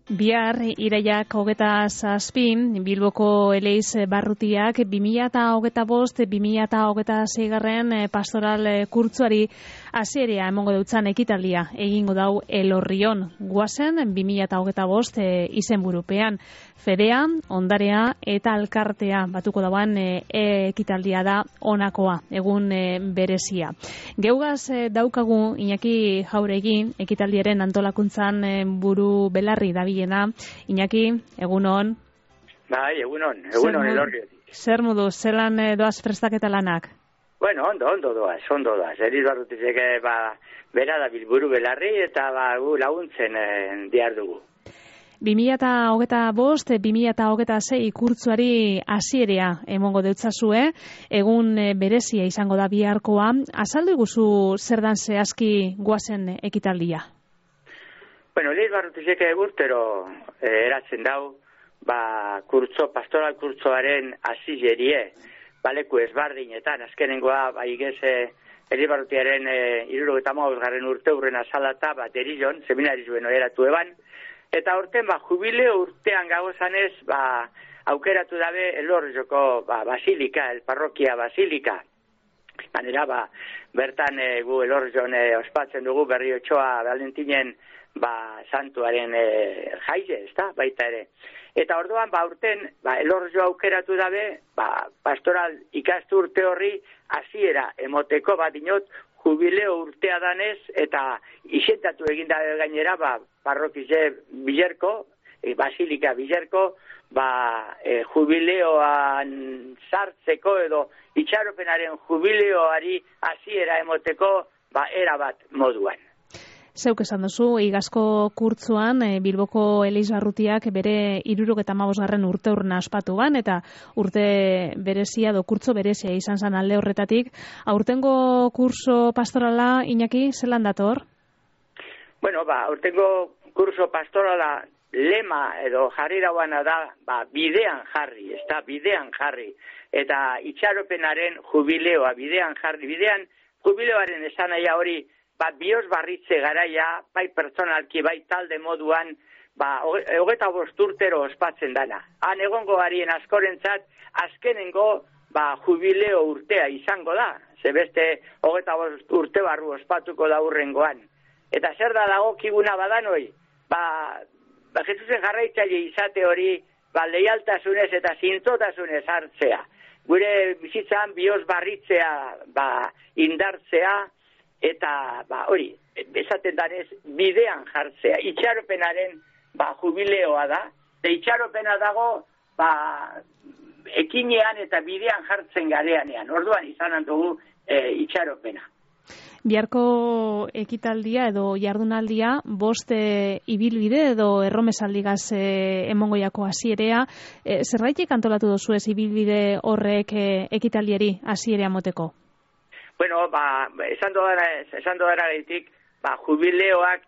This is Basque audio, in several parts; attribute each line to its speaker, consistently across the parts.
Speaker 1: Bihar iraiak 27 Bilboko Eleiz barrutiak 2025-2026 pastoral kurtzuari hasierea emango deutzan ekitaldia egingo dau Elorrion. Guazen 2025 izenburupean Fedea, Ondarea eta Alkartea batuko dauan ekitaldia da honakoa, egun berezia. Geugaz daukagu Iñaki Jauregin ekitaldiaren antolakuntzan buru belarri dabilena. Iñaki, egunon.
Speaker 2: Bai, egunon Elorriotik.
Speaker 1: Zer modu, zelan doaz prestaketa lanak?
Speaker 2: Bueno, ondo doaz. Eleiz barrutiek bera da bilburu belarri eta gu laguntzen diar dugu.
Speaker 1: 2025-2026 kurtzuari hasierea emongo deutzazue, egun berezia izango da biharkoa. Azaldu iguzu zer dan zehazki guazen ekitaldia?
Speaker 2: Bueno, Eleiz barrutiek urtero eratzen dau, pastoral kurtzoaren hasierie, baleku ezbardinetan, azkenengoa, Eleiz barrutiaren 75. urte urrena salata, Derizon, seminarizuen oheratu eban, eta orten, jubileo urtean gagozanez, aukeratu dabe Elorrioko basilika, parrokia basilika. Manera, bertan gu Elorrion ospatzen dugu Berriotxoa Valentinen santuaren jaize, ezta, baita ere. Eta orduan, urten, Elorrio aukeratu dabe, pastoral ikastu urte horri hasiera emoteko dinot, jubileo urtea danez, eta isentatu egindabe gainera, parrokize Bilerko, basilika Bilerko, jubileoan sartzeko edo itxaropenaren jubileoari hasiera emoteko, erabat moduan.
Speaker 1: Zeuk esan duzu, igazko kurtzuan Bilboko Eleiz barrutiak bere 75. urte urna ospatuan, eta urte berezia edo kurtzo berezia izan zan alde horretatik. Aurtengo kurso pastorala, Iñaki, zelan dator?
Speaker 2: Bueno, aurtengo kurso pastorala lema edo jarri dauana da, bidean jarri, bidean jarri. Eta itxaropenaren jubileoa, bidean jarri, jubileoaren esan naia hori, bioz barritze garaia, bai pertsonalki, bai talde moduan, 25 urtero ospatzen dana. Han egongo garien askorentzat, azkenengo jubileo urtea izango da. Zebeste 25 urte barru ospatuko da urrengoan. Eta zer da dagokiguna badanoi? Jesusen jarraitzaile izate hori, leialtasunez eta zintzotasunez hartzea. Gure bizitzan bioz barritzea, indartzea, eta hori, esaten danez, bidean jartzea. Itxaropenaren jubileoa da, itxaropena dago ekinean eta bidean jartzen gareanean. Orduan izan dugu itxaropena.
Speaker 1: Biharko ekitaldia edo jardunaldia, 5 ibilbide edo erromesaldigaz emongoiako hasierea. Zerraitik antolatu duzu ez ibilbide horrek ekitaldiari hasierea moteko?
Speaker 2: Bueno, esan dodara gaitik, jubileoak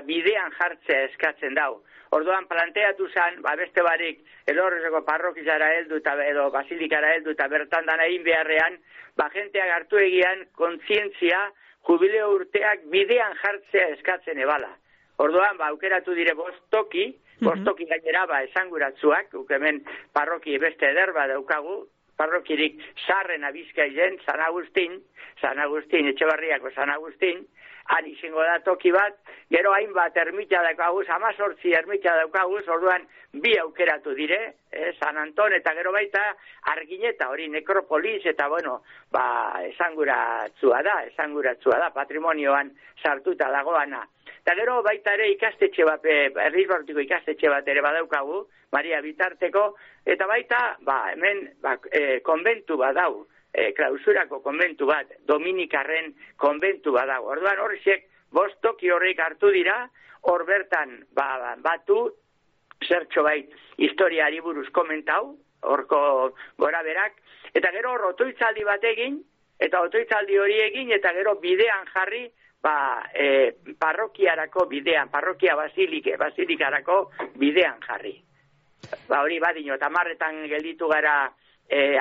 Speaker 2: bidean jartzea eskatzen dau. Orduan planteatu zen, beste barik, Elorrioko parrokizara heldu edo basilikara heldu eta bertan dana egin beharrean, jenteak hartu egian kontzientzia jubileo urteak bidean jartzea eskatzen ebala. Orduan, aukeratu dire 5 toki gainera esanguratzuak, hemen parroki beste ederba daukagu, parrokirik sarrena Bizkailen, San Agustin, Etxebarriako San Agustin, han izango da toki bat, gero hainbat ermita daukaguz, 18 ermita daukaguz, orduan 2 aukeratu dire, San Anton eta gero baita Argineta, hori nekropolis, eta esanguratzua da, patrimonioan sartuta dagoana. Eta gero baita ere ikastetxe bat, Eleiz barrutiko ikastetxe bat ere badaukagu, Maria Bitarteko, eta baita, hemen konbentu bat dau, klausurako konbentu bat, Dominikarren konbentu bat dau. Orduan horrexek 5 toki horrek hartu dira, hor bertan batu, zertxo bait historiari buruz komentau, horko gora berak, eta gero hor otoitzaldi bat egin, eta otoitzaldi hori egin, eta gero bidean jarri, parrokiarako bidean, parrokia basilikarako bidean jarri. Hori badino, tamarretan gelditu gara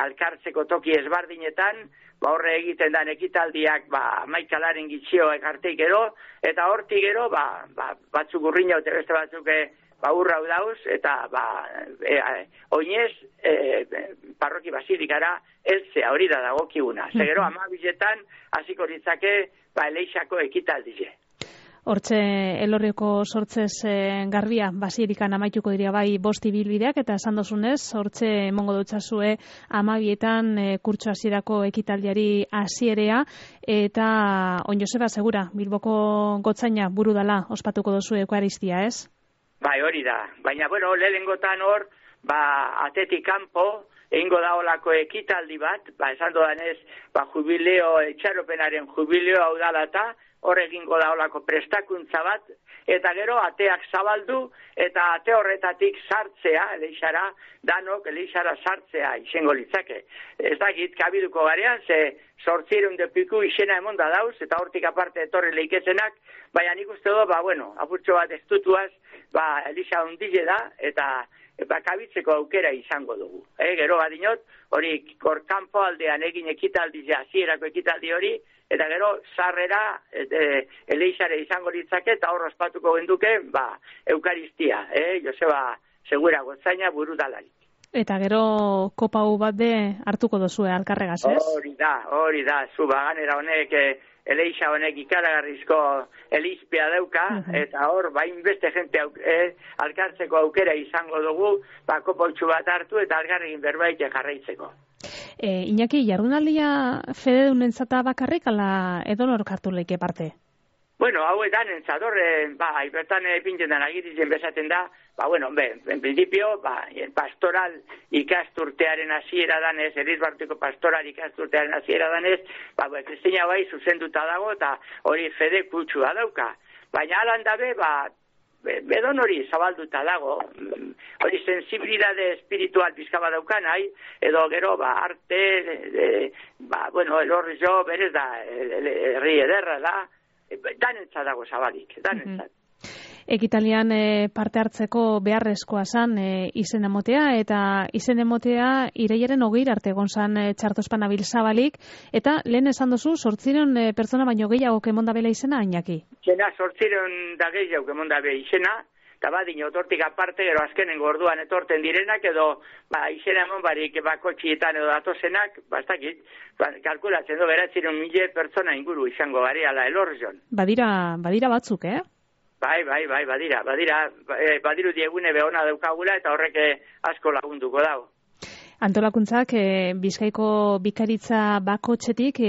Speaker 2: alkartzeko toki ezbardinetan, horre egiten dan ekitaldiak maikalaren gitxioek arteik gero, eta hortik gero, batzuk urrina, eta beste batzuk urrau dauz, eta oinez parroki basilikara eltzea hori da dagokiguna. Zegero 12etan hasiko litzake Eleixako ekitaldia.
Speaker 1: Hortxe Elorrioko sortzez garbia basilikan amaituko dira bai 5 ibilbideak, eta esan dozunez, hortxe emongo dutzazue 12etan kurtso hasierako ekitaldiari hasierea, eta on Joseba segura, Bilboko gotzaina buru dala ospatuko duzu Eukaristia, ez?
Speaker 2: Bai, hori da. Baina, lehenengotan hor, atetik kanpo, egingo da olako ekitaldi bat, esan dodanez, jubileo, itxaropenaren jubileo hau dalata, hor egingo da olako prestakuntza bat, eta gero ateak zabaldu, eta ate horretatik sartzea, Eleixara, danok Eleixara sartzea izango litzake. Ez dakit, kabiduko garean, ze 800 piku izena emon da dauz, eta hortik aparte etorri leikezenak, baina nik uste do, apurtxo bat estutuaz, Elixa ondile da, eta kabitzeko aukera izango dugu. Gero badinot, hori kanpo aldean egin ekitaldi, hasierako ekitaldi hori, eta gero sarrera Eleixare izango litzake, eta hor ospatuko genduke, Eukaristia, Joseba Segura gotzaina buru dalarik.
Speaker 1: Eta gero kopau bat de hartuko dozue alkarregaz, ez?
Speaker 2: Hori da, zu baganera honek, Eleixa honek ikaragarrizko elizpea dauka, eta hor, beste jente alkartzeko aukera izango dugu, kopautxu bat hartu eta algarregin berbait jarraitzeko.
Speaker 1: Iñaki, jardunaldia fededunentzata bakarrik, ala edonor kartu leike parte?
Speaker 2: Hauetan entzador, bertan pintzen agiritzen bezaten da, en principio, pastoral ikasturtearen hasiera danez, Elizbarrutiko pastoral ikasturtearen hasiera danez, Kristina zuzenduta dago, eta hori fede kutsua dauka. Baina alan dabe, bedon hori zabalduta dago, hori sensibilidade espiritual pizkaba daukan, edo gero, arte, elorri jo, berez da, herri ederra da, danentza dago zabalik, danentzat.
Speaker 1: Ekitalian parte hartzeko beharrezkoa zan izen emotea, eta izen emotea irailaren 20 arte egon zan txartospan abil zabalik, eta lehen esan duzu, 800 pertsona baino gehiago kemondabela izena, Iñaki?
Speaker 2: Izena, 800 da gehiago kemondabela izena, eta badin otortik aparte, gero azkenengo orduan etorten direnak, edo izena emon barik kotxietan edo datozenak, bastakit, kalkulatzen du, 900.000 pertsona inguru izango gari ala Elorrion.
Speaker 1: Badira batzuk,
Speaker 2: Bai, badiru diegune behona daukagula eta horrek asko lagunduko dago.
Speaker 1: Antolakuntzak Bizkaiko bikaritza bakotxetik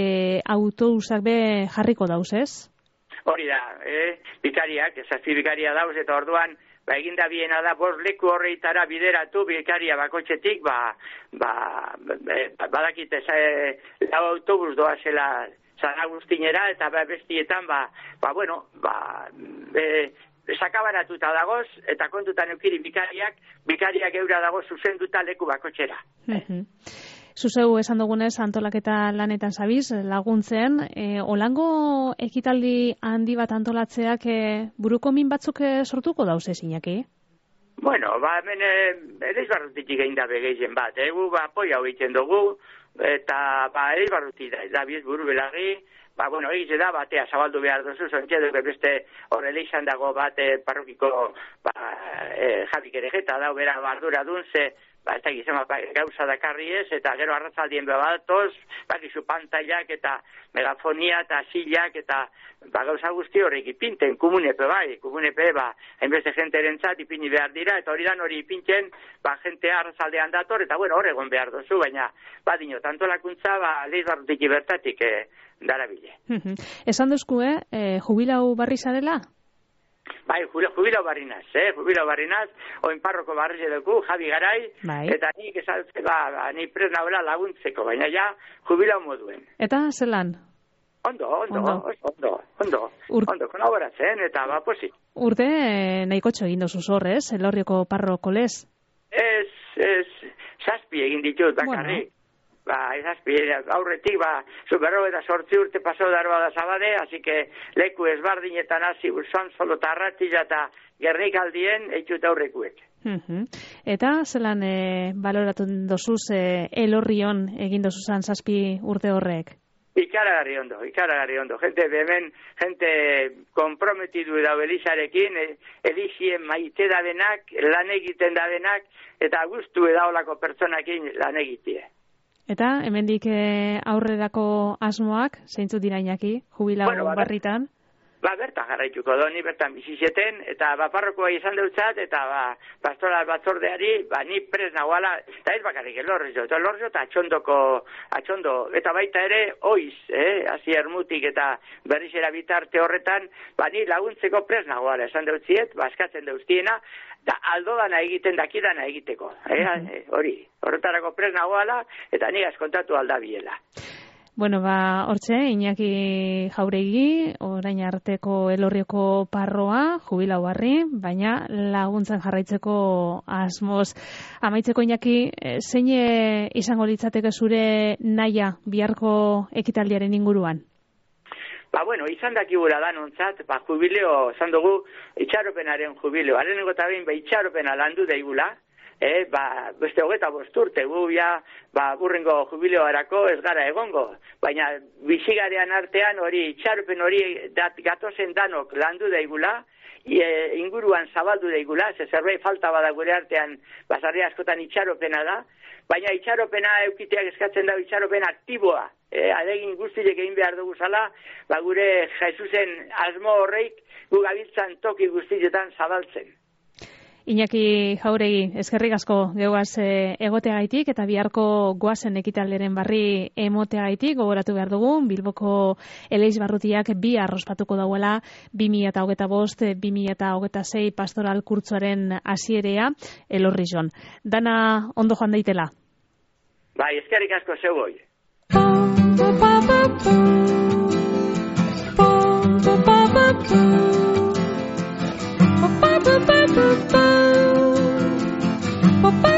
Speaker 1: autobusak be jarriko dauz, ez?
Speaker 2: Hori da, bikariak, zazpi bikaria dauz, eta orduan eginda biena da 5 leku horreitara bideratu bikaria bakotxetik, badakite lau autobus doazela San Agustinera, eta bestietan, sakabaratuta dagoz, eta kontutan eukiri bikariak eura dago zuzenduta leku bakotxera.
Speaker 1: Zuzeu esan dugunez antolaketa lanetan zabiz, laguntzen, olango ekitaldi handi bat antolatzeak buruko min batzuk sortuko dauz Iñaki?
Speaker 2: Hemen Elizbarrutitik egin da begeizen bat, apoia egiten dugu, eta Elizbarruti da biz buru belagi, egize da, batea zabaldu behar duzu, zontxe beste horrela izan dago parrokiko Javi Kerejeta da, bera bardura dun, ze ez da gizema gauza dakarri ez, eta gero arratzaldien behatoz, bakizu pantailak eta megafonia eta silak eta gauza guzti horrek ipinten, komunepe hainbeste jenteren zat ipini behar dira, eta hori dan hori ipinten, jentea arratzaldean dator, eta hor egon behar duzu, baina badino, tantolakuntza, Elizbarrutik bertatik darabile.
Speaker 1: Esan duzku, jubilau barri zarela?
Speaker 2: Jubilau barrinaz, oin parroko barri zeduku, Javi Garai, eta nik esaltze, ni pres nagoela laguntzeko, baina ja, jubilau moduen.
Speaker 1: Eta zelan?
Speaker 2: Ondo, kolaboratzen, eta posi.
Speaker 1: Urte nahiko egin dozu zorrez, Elorrioko parroko lez?
Speaker 2: Zazpi egin ditut, bakarrik. Aurretik, berro eta 8 urte pasau darba da zabade, así que leku ezbardinetan hasi urzan, solo tarratila eta gernikaldien eitut aurrekuek.
Speaker 1: Eta zelan baloratu dozuz Elorrion egin dozuzan 7 urte horrek?
Speaker 2: Ikaragarri ondo. Gente komprometidu da Elizarekin, Elixi badakien maite da benak, lan egiten da benak, eta gustu edaolako pertsonakin lan egitie.
Speaker 1: Eta, hemendik aurrerako asmoak, zeintzu dira Iñaki, jubilau barritan?
Speaker 2: Bertan jarraituko doni, bertan bizizeten, eta parrokoa izan deutzat, eta pastoral batzordeari, ni pres nagoala, eta ez bakarrik elorrizo eta atxondo, eta baita ere, oiz, hasi ermutik eta berrizera bitarte horretan, ni laguntzeko pres nagoala, esan deutziet, eskatzen deutziena, da aldo dana egiten, dakidana egiteko, horretarako pres nagoala, eta ni askontatu aldabiela.
Speaker 1: Bueno, hortxe, Iñaki Jauregi, orain arteko Elorrioko parroa, jubilau barri, baina laguntzen jarraitzeko asmoz. Amaitzeko Iñaki, zein izango litzateke zure naia biharko ekitaldiaren inguruan?
Speaker 2: Izan dakigura da nontzat, jubileo, esan dugu, itxaropenaren jubileo. Hareneko eta behin, itxaropena landu daigula, beste 25 urte, burrengo jubileoarako ez gara egongo, baina bizigarean artean hori, itxaropen hori gatozen danok landu daigula, inguruan zabaldu daigula, zerbait falta bada gure artean, basarri askotan itxaropena da, baina itxaropena eukiteak eskatzen da itxaropen aktiboa, adegin guztiek egin behar dugu zala, gure Jesusen asmo horreik gu gabiltzan toki guztietan zabaltzen.
Speaker 1: Iñaki Jauregi, eskerrik asko geuaz egoteagaitik eta biharko goazen ekitalderen barri emoteagaitik, gogoratu behar dugu, Bilboko Eleix Barrutiak bi arrospatuko dauela 2025-2026 pastoral kurtzoaren hasierea Elorrion. Dana ondo joan daitela.
Speaker 2: Eskerrik asko zeugoi. Bye.